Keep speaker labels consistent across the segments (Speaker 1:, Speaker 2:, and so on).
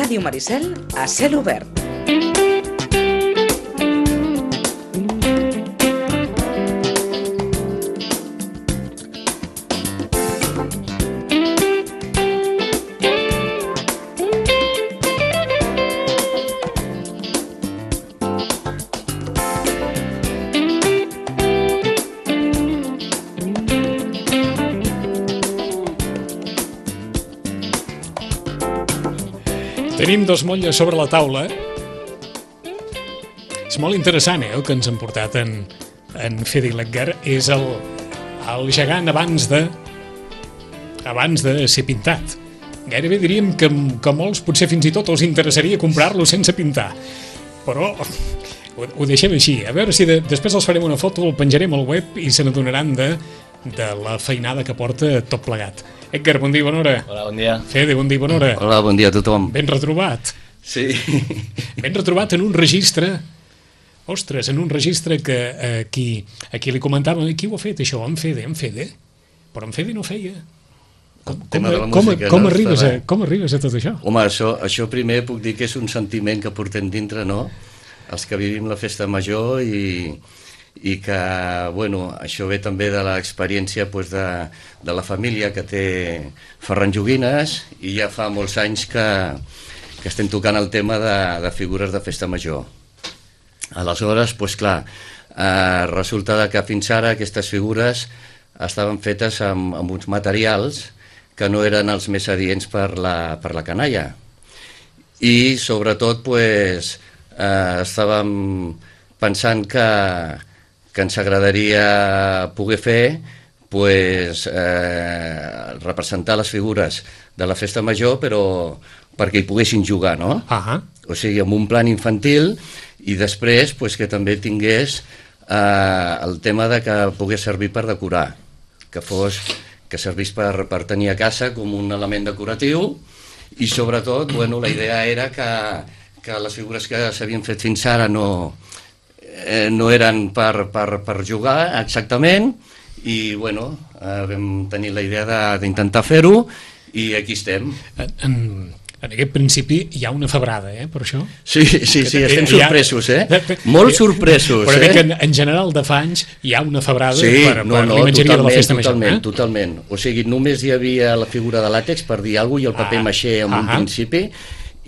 Speaker 1: Ràdio Maricel a cel obert.
Speaker 2: Tenim dos motlles sobre la taula. És molt interessant, el que ens han portat en Fede i l'Edgar. És el gegant abans de ser pintat. Gairebé diríem que molts potser fins i tot els interessaria comprar-lo sense pintar. Però ho deixem així. A veure si després els farem una foto, el penjarem al web i se n'adonaran de la feinada que porta tot plegat. Edgar, bon dia, bona hora.
Speaker 3: Hola, bon dia.
Speaker 2: Fede, bon dia, bona hora.
Speaker 3: Hola, bon dia a tothom.
Speaker 2: Ben retrobat.
Speaker 3: Sí.
Speaker 2: Ben retrobat en un registre, ostres, en un registre que aquí li comentàvem, qui ho ha fet això? En Fede. Però en Fede no feia. Com arribes a tot això?
Speaker 3: Home, això primer puc dir que és un sentiment que portem dintre, no? Els que vivim la festa major i que, bueno, això ve també de l'experiència de la família que té Ferran Joguines i ja fa molts anys que estem tocant el tema de figures de festa major. Aleshores, doncs clar, resulta que fins ara aquestes figures estaven fetes amb uns materials que no eren els més adients per la canalla. I sobretot, doncs, estàvem pensant que ens agradaria poder fer representar les figures de la festa major, però perquè hi poguessin jugar, no? O sigui, amb un plan infantil i després que també tingués el tema de que pogués servir per decorar, que servís per tenir a casa com un element decoratiu i sobretot, bueno, la idea era que les figures que s'havien fet fins ara no eren per jugar exactament i bueno, vam tenir la idea d'intentar fer-ho i aquí estem.
Speaker 2: En aquest principi hi ha una febrada, per això?
Speaker 3: Sí, estem sorpresos, molt sorpresos.
Speaker 2: Però crec que en general de fa anys hi ha una febrada per l'imatgeria de la festa major.
Speaker 3: Totalment. O sigui, només hi havia la figura de làtex per dir alguna cosa i el paper maixé en un principi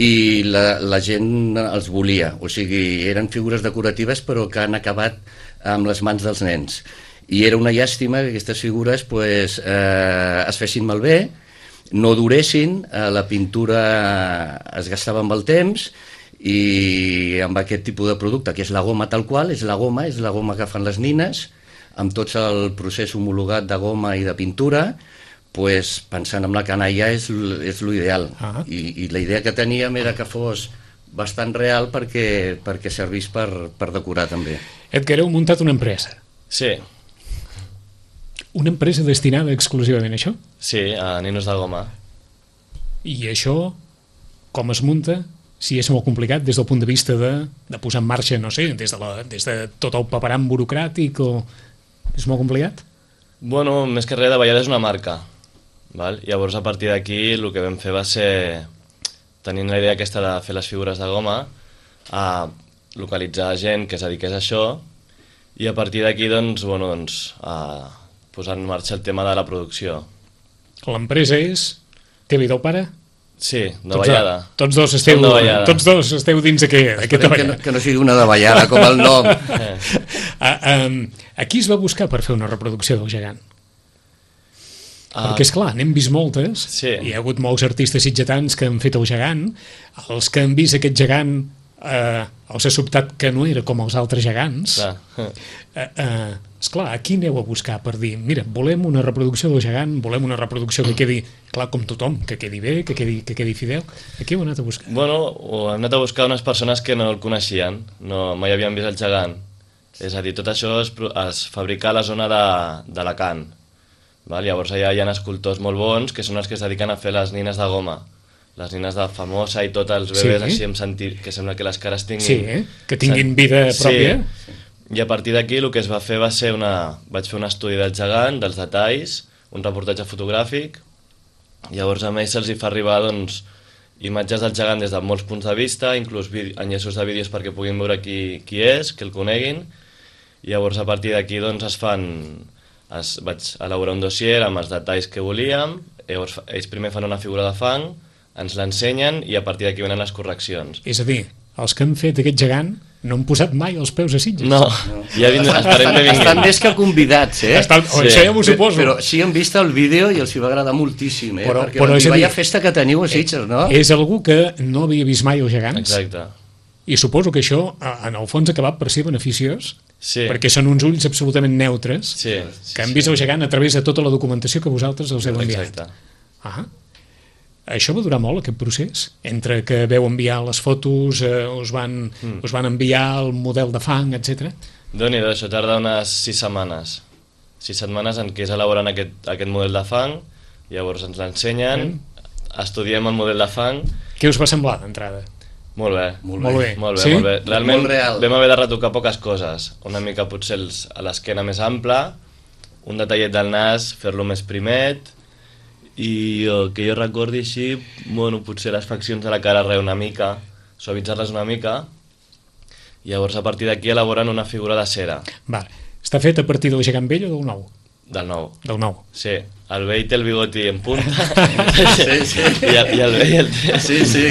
Speaker 3: i la gent els volia, o sigui, eren figures decoratives però que han acabat amb les mans dels nens i era una llàstima que aquestes figures es fessin malbé, no duressin, la pintura es gastava amb el temps i amb aquest tipus de producte que és la goma tal qual, és la goma que fan les nines amb tot el procés homologat de goma i de pintura, pensant en la canalla és l'ideal i la idea que teníem era que fos bastant real perquè servís per decorar també.
Speaker 2: Edgar, heu muntat una empresa.
Speaker 3: Sí.
Speaker 2: Una empresa destinada exclusivament a això?
Speaker 3: Sí, a ninos de goma.
Speaker 2: I això com es munta? Si és molt complicat des del punt de vista de posar en marxa, no sé, des de tot el paperam burocràtic o... És molt complicat?
Speaker 4: Bueno, més que res, Davallada és una marca. Val? Llavors a partir d'aquí el que vam fer va ser, tenint la idea aquesta de fer les figures de goma, a localitzar gent que es dediqués a això i a partir d'aquí a posar en marxa el tema de la producció.
Speaker 2: L'empresa té vida al pare?
Speaker 4: Sí, Davallada.
Speaker 2: Tots dos esteu dins d'aquesta Davallada.
Speaker 3: Que no sigui una Davallada com el nom.
Speaker 2: A qui es va buscar per fer una reproducció del gegant? Perquè, esclar, n'hem vist moltes, hi ha hagut molts artistes sitgetans que han fet el gegant, els que han vist aquest gegant els ha sobtat que no era com els altres gegants. Esclar, a qui aneu a buscar per dir, mira, volem una reproducció del gegant, volem una reproducció que quedi, clar, com tothom, que quedi bé, que quedi fidel. A qui heu anat a buscar?
Speaker 4: Bueno, hem anat a buscar unes persones que no el coneixien, mai havien vist el gegant. És a dir, tot això es fabrica a la zona d'Alacant. Llavors allà hi ha escultors molt bons que són els que es dediquen a fer les nines de goma, les nines de Famosa i tots els bebès així amb sentit, que sembla que les cares tinguin...
Speaker 2: que tinguin vida pròpia.
Speaker 4: I a partir d'aquí el que es va fer va ser vaig fer un estudi del gegant, dels detalls, un reportatge fotogràfic, llavors a ells se'ls hi fa arribar imatges del gegant des de molts punts de vista, inclús enllaços de vídeos perquè puguin veure qui és, que el coneguin, i llavors a partir d'aquí doncs vaig elaborar un dossier amb els detalls que volíem, llavors ells primer fan una figura de fang, ens l'ensenyen i a partir d'aquí venen les correccions.
Speaker 2: És a dir, els que han fet aquest gegant no han posat mai els peus a Sitges.
Speaker 4: No, ja esperem que vinguin.
Speaker 3: Estan més que convidats,
Speaker 2: Sí. Això ja m'ho suposo.
Speaker 3: Però sí han vist el vídeo i els hi va agradar moltíssim, perquè vaya festa que teniu a Sitges, no?
Speaker 2: És algú que no havia vist mai els gegants.
Speaker 4: Exacte.
Speaker 2: I suposo que això, en el fons, ha acabat per ser beneficiós,
Speaker 4: Sí.
Speaker 2: perquè són uns ulls absolutament neutres,
Speaker 4: Sí.
Speaker 2: que han vist el gegant a través de tota la documentació que vosaltres els heu enviat.
Speaker 4: Exacte.
Speaker 2: Això va durar molt, aquest procés? Entre que veu enviar les fotos, us van enviar el model de fang, etc.
Speaker 4: Déu-n'hi-do, això tarda unes 6 setmanes. 6 setmanes en què és elaborant aquest model de fang, llavors ens l'ensenyen, estudiem el model de fang.
Speaker 2: Què us va semblar d'entrada?
Speaker 4: Molt bé.
Speaker 2: Molt bé.
Speaker 4: Sí?
Speaker 3: Molt
Speaker 4: Realment
Speaker 3: real.
Speaker 4: vam haver de retocar poques coses. Una mica potser a l'esquena més ampla, un detallet del nas, fer-lo més primet, i que jo recordi així, bueno, potser les faccions de la cara una mica, suavitzar-les una mica, i llavors a partir d'aquí elaboren una figura de cera.
Speaker 2: Vale. Està fet a partir del gegant vell o del nou?
Speaker 4: Del nou.
Speaker 2: Del nou.
Speaker 4: Sí, el vell té el bigoti en punta.
Speaker 3: Sí.
Speaker 4: I el vell el té...
Speaker 3: Sí,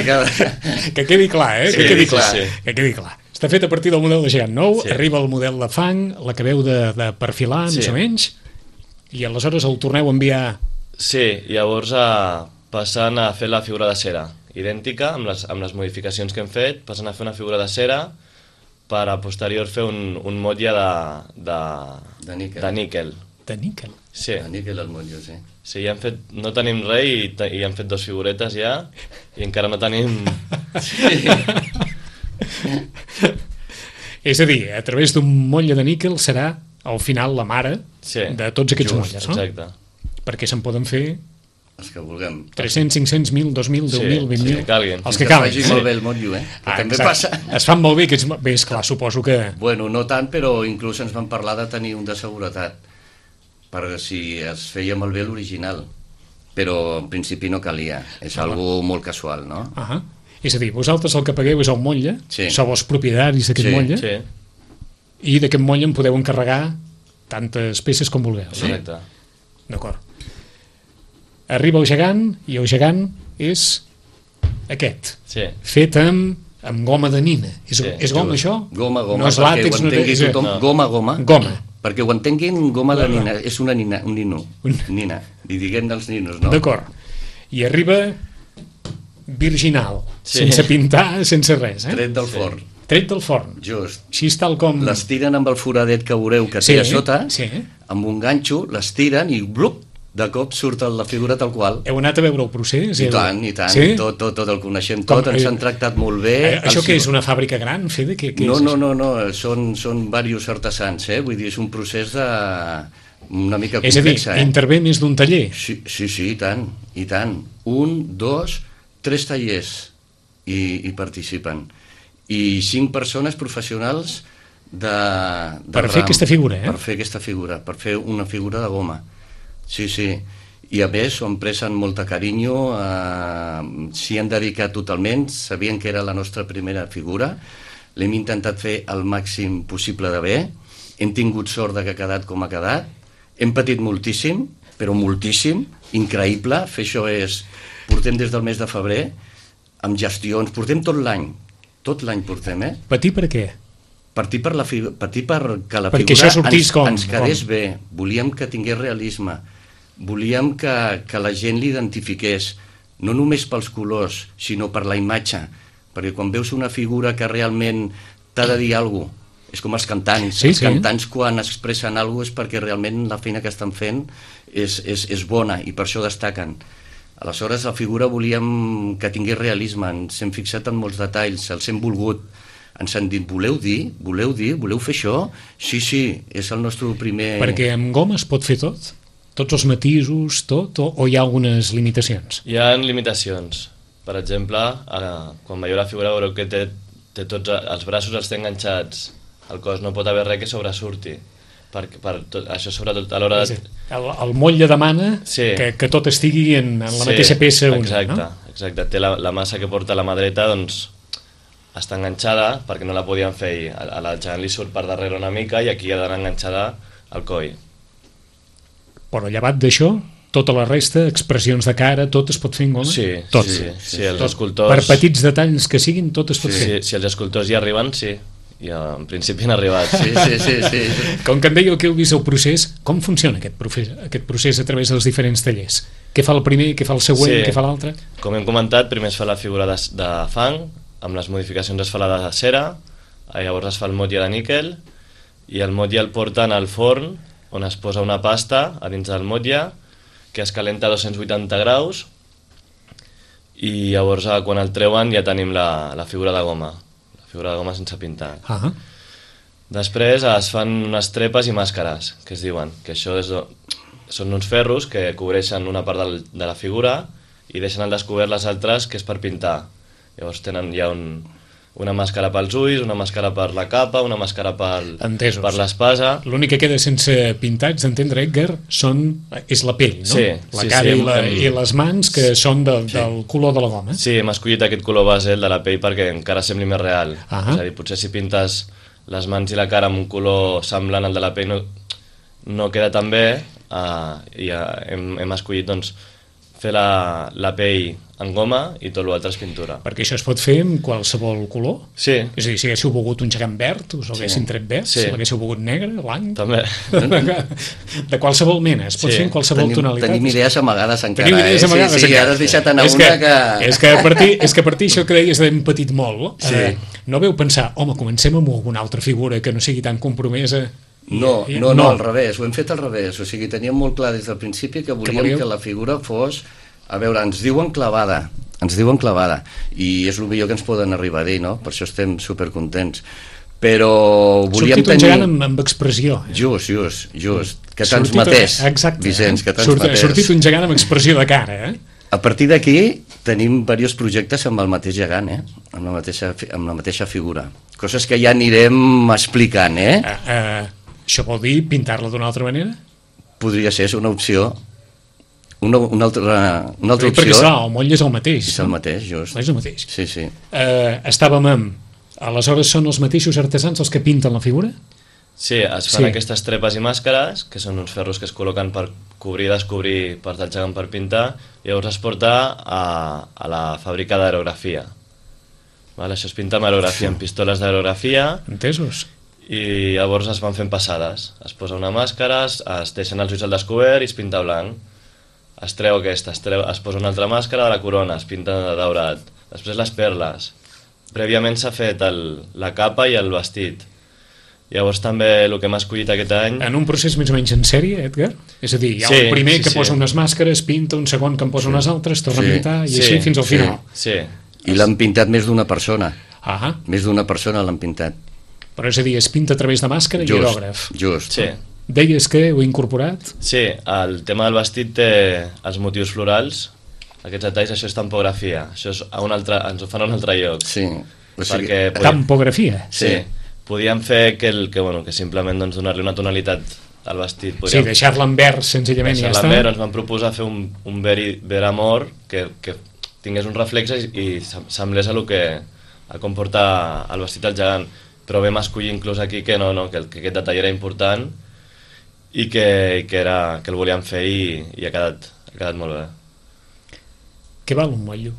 Speaker 2: Que quedi clar,
Speaker 3: Sí,
Speaker 2: que quedi
Speaker 3: sí,
Speaker 2: clar.
Speaker 3: sí.
Speaker 2: Que quedi clar. Està fet a partir del model de gegant nou,
Speaker 4: Sí.
Speaker 2: arriba el model de fang, l'acabeu de perfilar,
Speaker 4: Sí.
Speaker 2: més o menys, i aleshores el torneu a enviar...
Speaker 4: Sí, llavors passant a fer la figura de cera, idèntica, amb les modificacions que hem fet, passant a fer una figura de cera per a posterior fer un motlle
Speaker 3: De níquel.
Speaker 4: de níquel.
Speaker 2: De níquel.
Speaker 4: Sí,
Speaker 3: A níquel al motllo, sí.
Speaker 4: sí, ja hem fet, no tenim res i hem fet 2 figuretes ja i encara no tenim...
Speaker 2: És a dir, a través d'un motlle de níquel serà, al final, la mare
Speaker 4: Sí.
Speaker 2: de tots aquests
Speaker 3: Just,
Speaker 2: motlles, no?
Speaker 4: Exacte.
Speaker 2: Perquè se'n poden fer
Speaker 3: Els que vulguem.
Speaker 2: 300, 500, 1.000, 2.000, 10.000, 20.000...
Speaker 4: sí, que calguin.
Speaker 2: Els que
Speaker 3: Que
Speaker 2: calguin.
Speaker 3: faci molt bé el motllo, que també
Speaker 2: exacte.
Speaker 3: passa.
Speaker 2: Es fan molt bé aquests... Bé, esclar, suposo que...
Speaker 3: Bueno, no tant, però inclús ens van parlar de tenir un de seguretat, per si es feia malbé l'original. Però en principi no calia, és algo molt casual, no?
Speaker 2: És a dir, vosaltres el que pagueu és el motlle,
Speaker 3: Sí.
Speaker 2: sou els propietaris d'aquest
Speaker 3: Sí,
Speaker 2: motlle,
Speaker 4: Sí,
Speaker 2: i d'aquest motlle en podeu encarregar tantes peces com vulgueu.
Speaker 4: exacte.
Speaker 2: D'acord. Arriba el gegant, i el gegant és aquest,
Speaker 4: Sí.
Speaker 2: fet amb goma de nina. És goma,
Speaker 3: Just.
Speaker 2: això?
Speaker 3: Goma,
Speaker 2: No és
Speaker 3: perquè
Speaker 2: làtex,
Speaker 3: ho entengui
Speaker 2: és...
Speaker 3: tothom.
Speaker 4: No.
Speaker 3: Goma.
Speaker 2: Goma.
Speaker 3: Perquè ho entenguin, goma de nina, és una nina, un nino. Nina, li diguem dels ninos, no?
Speaker 2: D'acord. I arriba virginal,
Speaker 4: Sí.
Speaker 2: sense pintar, sense res,
Speaker 3: Tret del forn,
Speaker 2: Tret del forn.
Speaker 3: just.
Speaker 2: Així és tal com...
Speaker 3: Les tiren amb el foradet que veureu que
Speaker 2: Sí,
Speaker 3: té a sota,
Speaker 2: sí.
Speaker 3: amb un ganxo, les tiren i blup, de cop surt la figura tal qual.
Speaker 2: Heu anat a veure el procés?
Speaker 3: I tant, i tant,
Speaker 2: Sí?
Speaker 3: tot el coneixem
Speaker 2: Com-
Speaker 3: tot, ens han tractat molt bé.
Speaker 2: Això
Speaker 3: Els-
Speaker 2: què és, una fàbrica gran, Fede? Què
Speaker 3: No,
Speaker 2: és
Speaker 3: no,
Speaker 2: això?
Speaker 3: no, són diversos artesans, vull dir, és un procés una mica
Speaker 2: És a dir,
Speaker 3: complexa,
Speaker 2: intervé més d'un taller.
Speaker 3: Sí, i tant, i tant. 1, 2, 3 tallers hi participen. I 5 persones professionals
Speaker 2: Per fer aquesta figura,
Speaker 3: Per fer aquesta figura, per fer una figura de goma. Sí. I a més s'ho han pres amb molta carinyo, s'hi han dedicat totalment, sabien que era la nostra primera figura, l'hem intentat fer el màxim possible de bé, hem tingut sort de que ha quedat com ha quedat, hem patit moltíssim, però moltíssim, increïble, fer això és... Portem des del mes de febrer, amb gestions, portem tot l'any portem,
Speaker 2: Patir per què?
Speaker 3: Patir perquè la
Speaker 2: Perquè
Speaker 3: figura
Speaker 2: això sortís com?
Speaker 3: ens quedés bé, volíem que tingués realisme, volíem que la gent l'identifiqués, no només pels colors, sinó per la imatge, perquè quan veus una figura que realment t'ha de dir alguna cosa, és com els cantants,
Speaker 2: Sí,
Speaker 3: els
Speaker 2: sí.
Speaker 3: cantants quan expressen alguna cosa és perquè realment la feina que estan fent és bona i per això destaquen. Aleshores la figura volíem que tingués realisme, ens hem fixat en molts detalls, els hem volgut, ens han dit, voleu dir, voleu fer això? Sí, és el nostre primer...
Speaker 2: Perquè amb goma es pot fer tot? Tots els matisos, tot? O hi ha algunes limitacions?
Speaker 4: Hi ha limitacions. Per exemple, quan veieu la figura veureu que té tots els braços els té enganxats, el cos no pot haver res que sobresurti. Això sobretot a l'hora de...
Speaker 2: El motlle demana
Speaker 4: Sí.
Speaker 2: que tot estigui en la mateixa peça única,
Speaker 4: exacte,
Speaker 2: no?
Speaker 4: exacte, té la massa que porta la mà dreta, doncs, està enganxada perquè no la podien fer i a la gegant li surt per darrere una mica i aquí ha d'anar enganxada al coll.
Speaker 2: Però llevat d'això, tota la resta, expressions de cara, tot es pot fer en goma?
Speaker 4: Sí,
Speaker 2: tot.
Speaker 4: Sí, els escultors...
Speaker 2: Per petits detalls que siguin, tot es pot fer.
Speaker 4: Si els escultors hi arriben, sí. I en principi han arribat.
Speaker 3: Sí.
Speaker 2: Com que em dèieu que heu vist el procés, com funciona aquest procés a través dels diferents tallers? Què fa el primer, què fa el següent, què fa l'altre?
Speaker 4: Com hem comentat, primer es fa la figura de fang, amb les modificacions es fa la de cera, llavors es fa el motlle de níquel, i el motlle el porten al forn, on es posa una pasta a dins del motlle, que es calenta a 280 graus, i llavors quan el treuen ja tenim la figura de goma, sense pintar. Després es fan unes trepes i màscares, que es diuen, que això són uns ferros que cobreixen una part de la figura i deixen al descobert les altres, que és per pintar. Llavors tenen ja una màscara pels ulls, una màscara per la capa, una màscara per l'espasa.
Speaker 2: L'únic que queda sense pintar, ets d'entendre, Edgar, és la pell, no?
Speaker 4: Sí,
Speaker 2: la cara i les mans, que són del color de la goma.
Speaker 4: Sí, hem escollit aquest color base, el de la pell, perquè encara sembli més real. És a dir, potser si pintes les mans i la cara amb un color semblant al de la pell no queda tan bé, i hem escollit doncs, fer la pell en goma i tot l'altre és pintura.
Speaker 2: Perquè això es pot fer amb qualsevol color?
Speaker 4: Sí.
Speaker 2: És a dir, si haguéssiu volgut un gegant verd, us l'haguessin tret verd, si l'haguéssiu volgut negre, blanc...
Speaker 4: També.
Speaker 2: De qualsevol mena, es pot fer en qualsevol tonalitat.
Speaker 3: Tenim idees amagades encara.
Speaker 2: Tenim idees amagades encara.
Speaker 3: Sí, ara has deixat anar una que...
Speaker 2: És que a partir això que deies d'hem patit molt, no veu pensar, home, comencem amb alguna altra figura que no sigui tan compromesa...
Speaker 3: No, al revés, ho hem fet al revés. O sigui, teníem molt clar des del principi que volíem que la figura fos... A veure, ens diuen clavada, i és el millor que ens poden arribar a dir, no? Per això estem supercontents. Però volíem tenir...
Speaker 2: Sortit un gegant amb expressió.
Speaker 3: Just. Que transmetés, Vicenç, que transmetés.
Speaker 2: Sortit un gegant amb expressió de cara,
Speaker 3: A partir d'aquí tenim diversos projectes amb el mateix gegant, amb la mateixa figura. Coses que ja anirem explicant,
Speaker 2: Això vol dir pintar-la d'una altra manera?
Speaker 3: Podria ser, és una opció. Una altra opció.
Speaker 2: Perquè el moll és el mateix.
Speaker 3: És el mateix, just.
Speaker 2: És el mateix.
Speaker 3: Sí.
Speaker 2: Estàvem amb... Aleshores són els mateixos artesans els que pinten la figura?
Speaker 4: Sí, es fan aquestes trepes i màscares, que són uns ferros que es col·loquen per cobrir i descobrir part del gegant per pintar, i llavors es porta a la fàbrica d'aerografia. Això es pinta amb aerografia, amb pistoles d'aerografia.
Speaker 2: Entesos.
Speaker 4: I llavors es van fent passades. Es posa una màscara, es deixen els ulls al descobert i es pinta blanc. Es treu aquesta, es posa una altra màscara de la corona, es pinta de daurat. Després les perles. Prèviament s'ha fet la capa i el vestit. Llavors també el que hem escollit aquest any...
Speaker 2: En un procés més o menys en sèrie, Edgar? És a dir, hi ha un primer que posa unes màscares, pinta, un segon que en posa unes altres, torna a pintar, i així fins al final.
Speaker 4: Sí.
Speaker 3: I l'han pintat més d'una persona. Més d'una persona l'han pintat.
Speaker 2: Però és a dir, es pinta a través de màscara i aerògraf.
Speaker 3: Just.
Speaker 4: Sí.
Speaker 2: Deies que ho he incorporat?
Speaker 4: Sí, el tema del vestit té els motius florals, aquests detalls, això és tampografia, això és ens ho fan a un altre lloc.
Speaker 3: Sí.
Speaker 2: Tampografia?
Speaker 4: Sí. Podíem fer que simplement donar-li una tonalitat al vestit.
Speaker 2: Sí, deixar-la en verd senzillament i ja està.
Speaker 4: Deixar-la en verd, ens van proposar fer un ver amor que tingués un reflex i semblés a com porta el vestit al gegant. Però vam escollir inclús aquí que que aquest detall era important i que el volíem fer i ha quedat molt bé.
Speaker 2: Què val un motllo?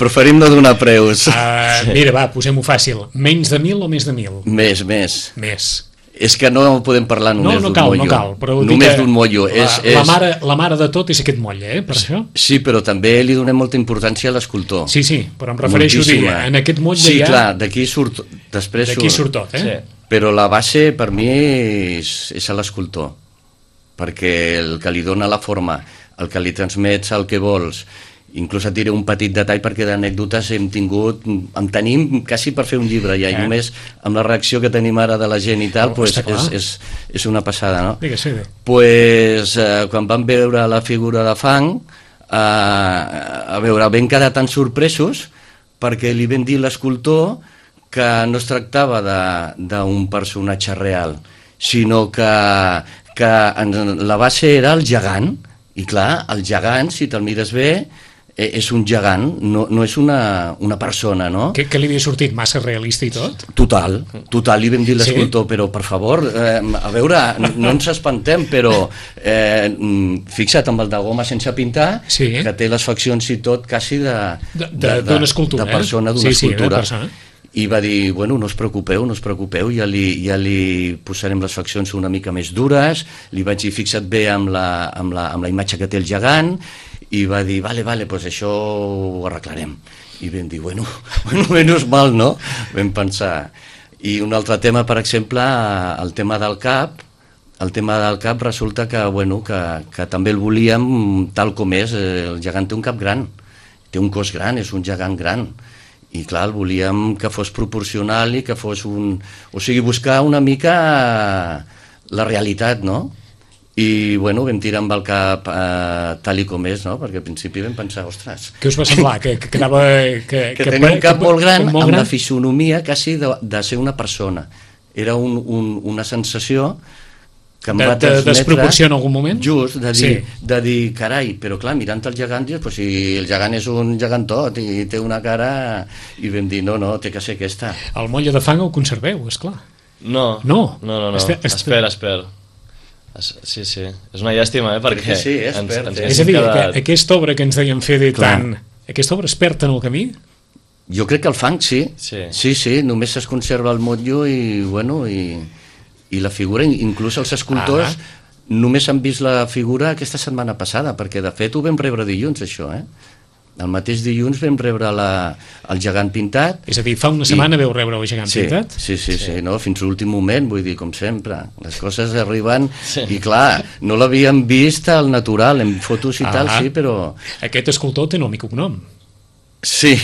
Speaker 3: Preferim no donar preus.
Speaker 2: Mira, va, posem-ho fàcil. Menys de 1.000 o més de 1.000?
Speaker 3: Més. És que no podem parlar només d'un motllo.
Speaker 2: No cal, però
Speaker 3: només d'un motllo.
Speaker 2: La mare de tot és aquest motle, per això?
Speaker 3: Sí, però també li donem molta importància a l'escultor.
Speaker 2: Sí, però em refereixo a dir, en aquest motle
Speaker 3: ja... Sí, clar, d'aquí surt...
Speaker 2: D'aquí surt tot,
Speaker 3: Sí. Però la base, per mi, és a l'escultor. Perquè el que li dona la forma, el que li transmets el que vols, inclús et diré un petit detall perquè d'anècdotes en tenim quasi per fer un llibre ja, i només amb la reacció que tenim ara de la gent i tal, és una passada, no?
Speaker 2: Digues-hi.
Speaker 3: Quan vam veure la figura de fang, vam quedar tan sorpresos perquè li vam dir a l'escultor que no es tractava d'un personatge real, sinó que que la base era el gegant, i clar, el gegant, si te'l mires bé, és un gegant, no és una persona, no?
Speaker 2: Que li havia sortit massa realista i tot?
Speaker 3: Total, li vam dir l'escultor, però per favor, a veure, no ens espantem, però fixa't amb el de goma sense pintar, que té les faccions i tot quasi
Speaker 2: d'una escultura,
Speaker 3: de persona, d'una escultura. I va dir, bueno, no us preocupeu, ja li posarem les faccions una mica més dures, li vaig dir, fixa't bé amb la imatge que té el gegant, i va dir, vale, doncs això ho arreglarem. I vam dir, bueno, menys mal, no? Vam pensar. I un altre tema, per exemple, el tema del cap, resulta que, bueno, que també el volíem tal com és. El gegant té un cap gran, té un cos gran, és un gegant gran. I clar, el volíem que fos proporcional i que fos un... O sigui, buscar una mica la realitat, no? I, bueno, vam tirar amb el cap tal i com és, no? Perquè al principi vam pensar, ostres...
Speaker 2: Què us va semblar? Que
Speaker 3: tenia un cap molt gran, amb la fisonomia quasi de ser una persona. Era una sensació que em va transmetre...
Speaker 2: De desproporció en algun moment?
Speaker 3: Just, de dir, carai, però clar, mirant el gegant, dius, pues, si el gegant és un gegantot i té una cara... I vam dir, no, té que ser aquesta.
Speaker 2: El motlle de fang el conserveu, esclar.
Speaker 4: No. Espera. Sí, és una llàstima, perquè...
Speaker 3: Sí, és
Speaker 2: a dir, aquesta obra que ens deien fer de tant... Aquesta obra es perd en el camí?
Speaker 3: Jo crec que el fang, sí. Sí, només es conserva el motllo i, bueno, i la figura, inclús els escultors només han vist la figura aquesta setmana passada, perquè de fet ho vam rebre dilluns, això, El mateix dilluns vam rebre el gegant pintat.
Speaker 2: És a dir, fa una setmana veu rebre el gegant pintat?
Speaker 3: Sí, no? Fins a l'últim moment, vull dir, com sempre. Les coses arriben i, clar, no l'havíem vist al natural, en fotos i tal, sí, però...
Speaker 2: Aquest escultor té nom i cognom.
Speaker 3: Sí,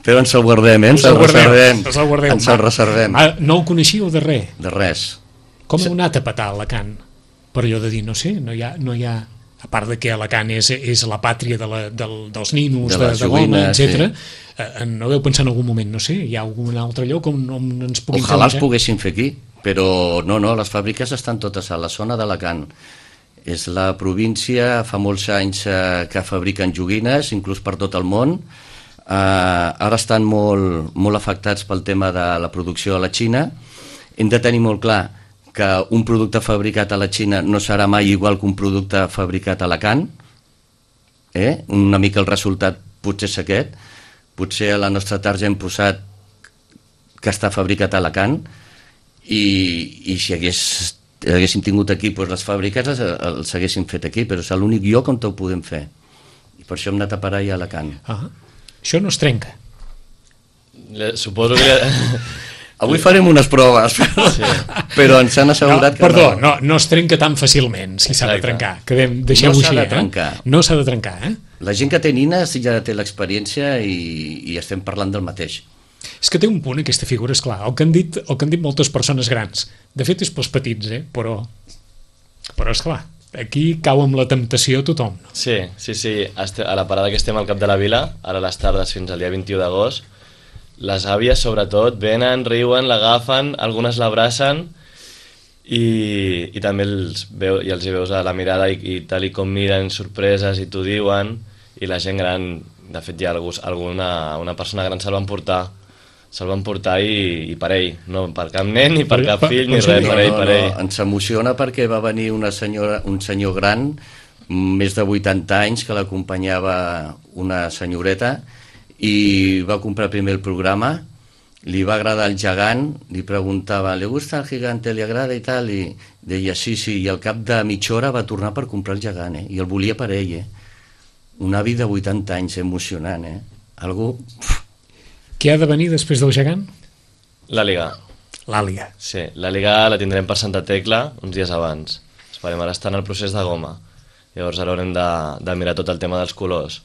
Speaker 3: però ens el guardem, ens el reservem.
Speaker 2: No el coneixíeu de res?
Speaker 3: De res.
Speaker 2: Com heu anat a petar Alacant? Per allò de dir, no sé, no hi ha a part de que Alacant és la pàtria dels ninos, de goma, etc. No veu pensar en algun moment, no sé, hi ha algun altre lloc on ens puguin fer?
Speaker 3: Ojalà els poguéssim fer aquí, però no, les fàbriques estan totes a la zona d'Alacant. És la província, fa molts anys que fabriquen joguines, inclús per tot el món. Ara estan molt afectats pel tema de la producció a la Xina. Hem de tenir molt clar que un producte fabricat a la Xina no serà mai igual que un producte fabricat a Alacant. Una mica el resultat potser és aquest. Potser a la nostra tarja hem posat que està fabricat a Alacant i si haguéssim tingut aquí les fàbriques els haguéssim fet aquí, però és l'únic lloc on ho podem fer. I per això hem anat a parar a Alacant.
Speaker 2: Això no es trenca.
Speaker 4: Suposo que...
Speaker 3: Avui farem unes proves, però ens han assegurat que
Speaker 2: no. No es trenca tan fàcilment, si s'ha de trencar. Deixem-ho així, No s'ha de trencar,
Speaker 3: La gent que té nines ja té l'experiència i estem parlant del mateix.
Speaker 2: És que té un punt, aquesta figura, esclar. El que han dit moltes persones grans. De fet, és pels petits, però esclar, aquí cau amb la temptació tothom.
Speaker 4: Sí. A la parada que estem al Cap de la Vila, ara a les tardes fins al dia 21 d'agost, les àvies sobretot venen, riuen, l'agafen, algunes l'abracen i també els veus a la mirada i tal i com miren sorpreses i t'ho diuen, i la gent gran, de fet hi ha una persona gran se'l van portar i per ell, no per cap nen ni per cap fill ni res, per ell.
Speaker 3: Ens emociona perquè va venir un senyor gran, més de 80 anys, que l'acompanyava una senyoreta, i va comprar primer el programa, li va agradar el gegant, li preguntava, ¿le gusta el gigante, le agrada i tal? I deia, sí, i al cap de mitja hora va tornar per comprar el gegant, i el volia per ell, Un avi de 80 anys, emocionant, Algú...
Speaker 2: Què ha de venir després del gegant?
Speaker 4: L'àliga.
Speaker 2: L'àliga.
Speaker 4: Sí, l'àliga la tindrem per Santa Tecla uns dies abans. Esperem, ara està en el procés de goma. Llavors ara haurem de mirar tot el tema dels colors.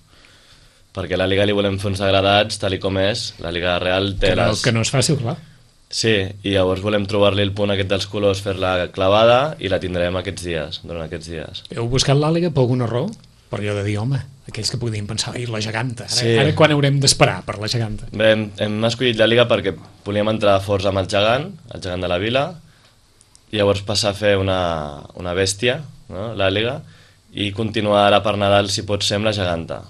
Speaker 4: Perquè l'àliga li volem fer uns degradats, tal i com és. L'àliga real té
Speaker 2: que no és fàcil, clar.
Speaker 4: Sí, i llavors volem trobar-li el punt aquest dels colors, fer-la clavada, i la tindrem durant aquests dies.
Speaker 2: Heu buscat l'àliga per alguna raó? Per allò de dir, home, aquells que podien pensar, la geganta. Ara quan haurem d'esperar per la geganta?
Speaker 4: Bé, hem escollit l'àliga perquè volíem entrar forts amb el gegant de la vila, llavors passar a fer una bèstia, no? L'àliga, i continuar ara per Nadal, si pot ser, amb la geganta.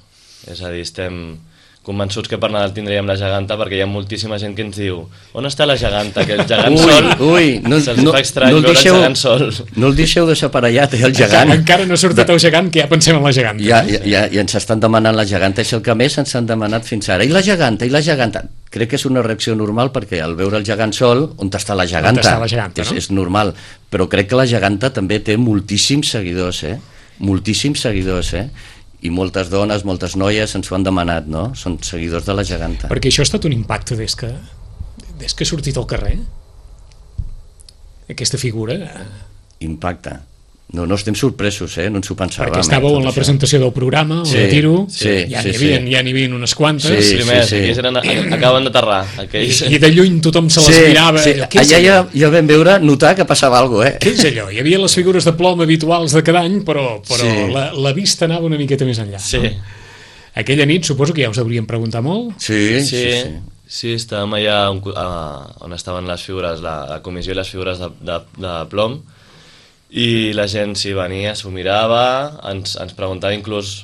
Speaker 4: És a dir, estem convençuts que per Nadal tindríem la geganta, perquè hi ha moltíssima gent que ens diu on està la geganta, que el gegant sol se'ls fa estrany veure el gegant sol.
Speaker 3: No el deixeu deixar per allà, té el gegant.
Speaker 2: Encara no ha sortit el gegant, que ja pensem en la geganta.
Speaker 3: Ja ens estan demanant la geganta, és el que més ens han demanat fins ara. I la geganta, i la geganta. Crec que és una reacció normal, perquè al veure el gegant sol, on està la geganta?
Speaker 2: On està la geganta, no?
Speaker 3: És normal, però crec que la geganta també té moltíssims seguidors, moltíssims seguidors, i moltes dones, moltes noies ens ho han demanat, no? Són seguidors de la geganta.
Speaker 2: Perquè això ha estat un impacte des que ha sortit al carrer? Aquesta figura?
Speaker 3: Impacte. No estem sorpresos, no ens ho pensàvem.
Speaker 2: Perquè estàveu en la presentació del programa,
Speaker 3: sí,
Speaker 2: el Tiro,
Speaker 3: sí,
Speaker 2: ja n'hi havia unes quantes.
Speaker 4: Els primers, aquells acaben d'aterrar.
Speaker 2: I de lluny tothom se les mirava.
Speaker 3: Allà ja vam veure, notar que passava alguna cosa,
Speaker 2: Què és allò? Hi havia les figures de plom habituals de cada any, però la vista anava una miqueta més enllà.
Speaker 4: Sí.
Speaker 2: No? Aquella nit suposo que ja us hauríem preguntat molt.
Speaker 4: Sí, estàvem allà on estaven les figures, la comissió i les figures de plom, i la gent s'hi venia, s'ho mirava, ens preguntava inclús,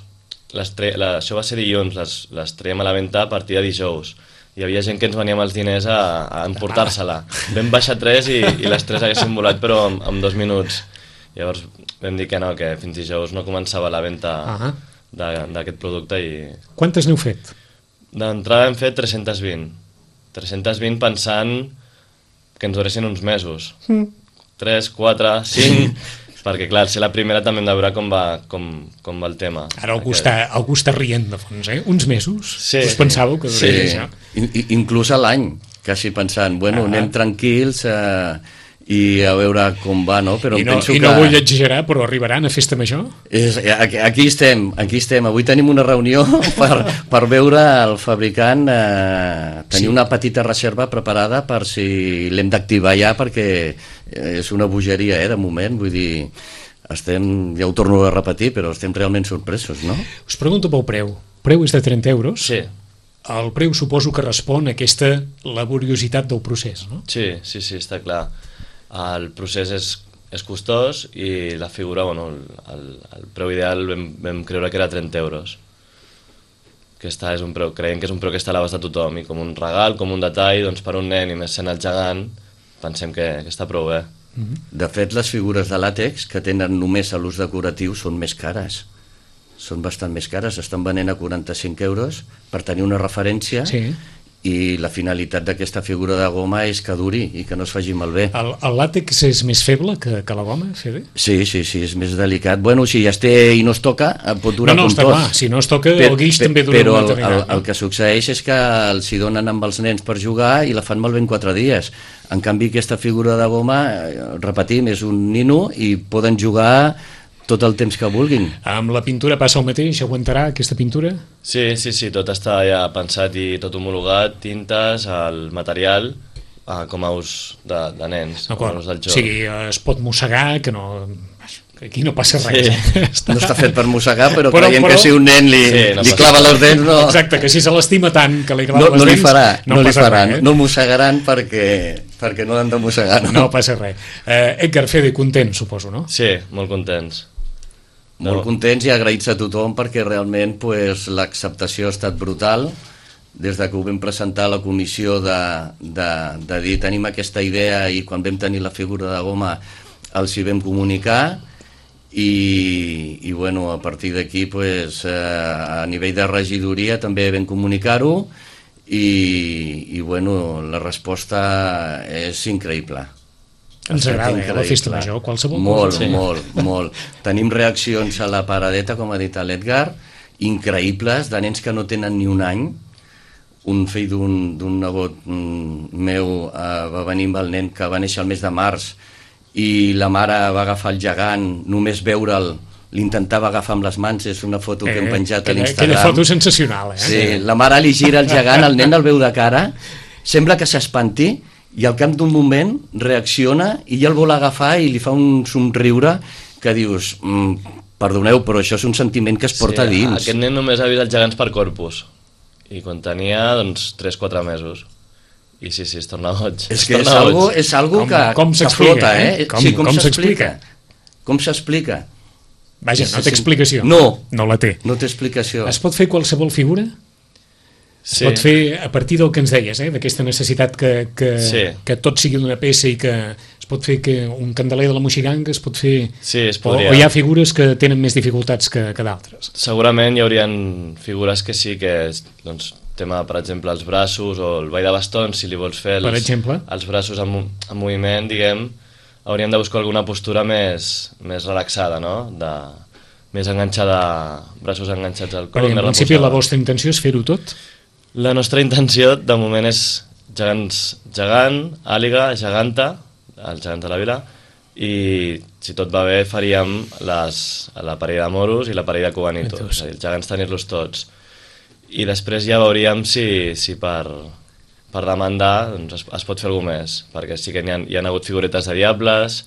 Speaker 4: això va ser dilluns, les traiem a la venda a partir de dijous. Hi havia gent que ens venia amb els diners a emportar-se-la. Vam baixar 3 i les 3 haguessin volat, però en 2 minuts. Llavors vam dir que no, que fins dijous no començava la venda d'aquest producte.
Speaker 2: Quantes n'heu fet?
Speaker 4: D'entrada hem fet 320. 320 pensant que ens duressin uns mesos. 3, 4, 5, perquè clar, ser la primera també hem de veure com va el tema.
Speaker 2: Ara algú està rient de fons, Uns mesos?
Speaker 4: Sí.
Speaker 2: Us pensàveu que duraria això?
Speaker 3: Inclús a l'any, quasi pensant, anem tranquils i a veure com va, no? Però penso
Speaker 2: I no vull exagerar, però arribaran a Festa Major?
Speaker 3: Aquí estem. Avui tenim una reunió per veure el fabricant tenir una petita reserva preparada per si l'hem d'activar ja, perquè és una bogeria, de moment, vull dir, ja ho torno a repetir, però estem realment sorpresos, no?
Speaker 2: Us pregunto pel preu. El preu és de 30 euros?
Speaker 4: Sí.
Speaker 2: El preu suposo que respon a aquesta laboriositat del procés, no?
Speaker 4: Sí, està clar. El procés és costós i la figura, el preu ideal vam creure que era 30 euros. Creiem que és un preu que està a l'abast de tothom, i com un regal, com un detall, doncs per un nen i més sent el gegant, pensem que està prou bé.
Speaker 3: De fet, les figures de làtex que tenen només a l'ús decoratiu són més cares. Són bastant més cares, estan venent a 45 euros per tenir una referència.
Speaker 2: Sí.
Speaker 3: I la finalitat d'aquesta figura de goma és que duri i que no es faci malbé.
Speaker 2: El làtex és més feble que la goma, Fede?
Speaker 3: Sí, és més delicat. Si ja es té i no es toca, pot durar
Speaker 2: com tot. No, està clar, si no es toca, el guix també dura una eternidad.
Speaker 3: Però el que succeeix és que els hi donen amb els nens per jugar i la fan malbé en 4 dies. En canvi, aquesta figura de goma, repetim, és un nino i poden jugar tot el temps que vulguin.
Speaker 2: Amb la pintura passa el mateix? Aguantarà aquesta pintura?
Speaker 4: Sí, tot està ja pensat i tot homologat, tintes, el material, com a ús de nens, com a ús del joc.
Speaker 2: O sigui, es pot mossegar, que aquí no passa res.
Speaker 3: Sí. No està fet per mossegar, però creiem que si un nen li clava les dents... No...
Speaker 2: Exacte, que si se l'estima tant que li clava les dents...
Speaker 3: No li faran, no mossegaran perquè no han de mossegar.
Speaker 2: No passa res. Edgar, Fede, content, suposo, no?
Speaker 4: Sí, molt contents.
Speaker 3: Molt contents i agraïts a tothom, perquè realment l'acceptació ha estat brutal. Des que ho vam presentar a la comissió de dir tenim aquesta idea, i quan vam tenir la figura de goma els hi vam comunicar, i a partir d'aquí a nivell de regidoria també vam comunicar-ho, i la resposta és increïble.
Speaker 2: Ens agrada, la Festa Major, qualsevol cosa.
Speaker 3: Molt. Tenim reaccions a la paradeta, com ha dit l'Edgar, increïbles, de nens que no tenen ni un any. Un fill d'un nebot meu va venir amb el nen que va néixer el mes de març, i la mare va agafar el gegant, només veure'l, l'intentava agafar amb les mans. És una foto que hem penjat a l'Instagram.
Speaker 2: Aquella foto sensacional,
Speaker 3: Sí, la mare li gira el gegant, el nen el veu de cara, sembla que s'espanti, i al cap d'un moment reacciona i ja el vol agafar i li fa un somriure que dius, perdoneu, però això és un sentiment que es porta dins.
Speaker 4: Aquest nen només ha vist els gegants per Corpus, i quan tenia 3-4 mesos, i sí, es torna boig.
Speaker 3: És que és algo que flota,
Speaker 2: Com s'explica?
Speaker 3: Com s'explica?
Speaker 2: Vaja, no té explicació.
Speaker 3: No
Speaker 2: la té.
Speaker 3: No té explicació.
Speaker 2: Es pot fer qualsevol figura? Es pot fer a partir del que ens deies, d'aquesta necessitat que tot sigui d'una peça i que es pot fer que un candeler de la Moixiganga es pot fer...
Speaker 4: Sí, es podria.
Speaker 2: O hi ha figures que tenen més dificultats que d'altres?
Speaker 4: Segurament hi haurien figures que sí que... Doncs, tema, per exemple, els braços o el ball de bastons, si li vols fer els braços en moviment, diguem, hauríem de buscar alguna postura més relaxada, no? Més enganxada, braços enganxats al cor.
Speaker 2: Perquè en principi la vostra intenció és fer-ho tot?
Speaker 4: La nostra intenció, de moment, és gegant, àliga, geganta, el gegant de la vila, i si tot va bé faríem la parella de moros i la parella de cubanitos, és a dir, els gegants tenir-los tots. I després ja veuríem si per demandar doncs es pot fer alguna més, perquè sí que hi ha hagut figuretes de diables,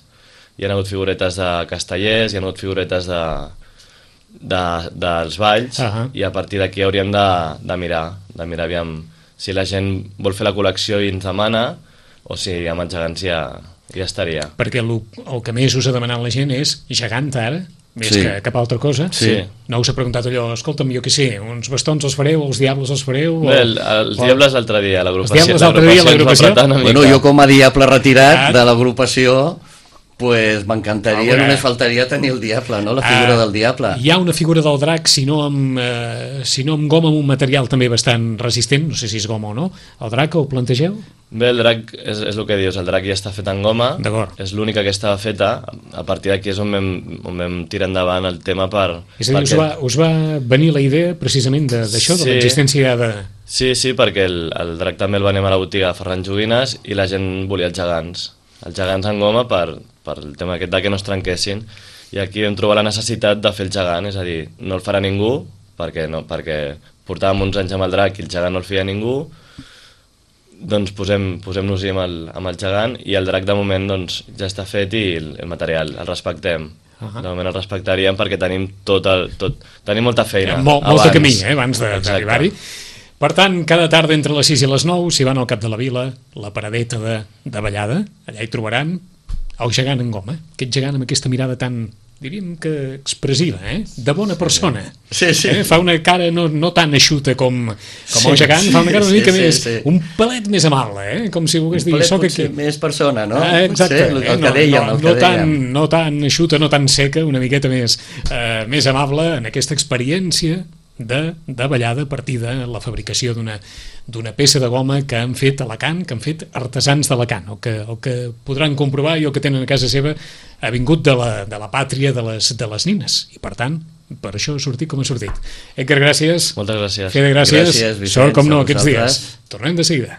Speaker 4: hi ha hagut figuretes de castellers, hi ha hagut figuretes dels balls, i a partir d'aquí hauríem de mirar aviam si la gent vol fer la col·lecció i ens demana, o si amb els gegants ja estaria.
Speaker 2: Perquè el que més us ha demanat la gent és gegant ara, més que cap altra cosa. No us ha preguntat allò, escolta'm, jo què sé, uns bastons els fareu, els diables els fareu?
Speaker 4: Bé, els diables l'altre dia, l'agrupació.
Speaker 2: Els diables l'altre dia, l'agrupació?
Speaker 3: Bueno, jo com a diable retirat de l'agrupació, pues m'encantaria, només faltaria tenir el diable, no? La figura del diable.
Speaker 2: Hi ha una figura del drac, si no amb goma, amb un material també bastant resistent, no sé si és goma o no. El drac ho plantegeu?
Speaker 4: Bé, el drac és el que dius, el drac ja està fet en goma, és l'única que estava feta, a partir d'aquí és on vam tirar endavant el tema per...
Speaker 2: És a dir, us va venir la idea precisament d'això, de l'existència de...
Speaker 4: Sí, perquè el drac també el venem a la botiga de Ferran Joguines i la gent volia els gegants en goma per el tema aquest de que no es trenquessin, i aquí vam trobar la necessitat de fer el gegant, és a dir, no el farà ningú, perquè portàvem uns anys amb el drac i el gegant no el feia ningú, doncs posem-nos-hi amb el gegant, i el drac de moment doncs, ja està fet i el material el respectem. De moment el respectaríem perquè tenim tenim molta feina.
Speaker 2: Molt de camí, abans d'arribar-hi. Per tant, cada tarda entre les 6 i les 9, si van al cap de la vila, la paradeta de ballada, allà hi trobaran el gegant en goma, aquest gegant amb aquesta mirada tan, diríem que expressiva, de bona persona.
Speaker 3: Sí.
Speaker 2: Fa una cara no tan eixuta com el gegant, fa una cara una mica més, un pelet més amable, com si volgués dir...
Speaker 3: Un pelet potser més persona, no?
Speaker 2: Exacte.
Speaker 3: El que dèiem.
Speaker 2: No tan eixuta, no tan seca, una miqueta més amable en aquesta experiència de ballada a partir de la fabricació d'una peça de goma que han fet a Alacant, que han fet artesans d'Alacant, el que podran comprovar i el que tenen a casa seva ha vingut de la pàtria de les nines, i per tant per això ha sortit com ha sortit. Edgar, gràcies.
Speaker 4: Moltes gràcies.
Speaker 2: Fede, gràcies.
Speaker 3: Gràcies, Vicenç,
Speaker 2: sort com no aquests dies. Tornem de seguida.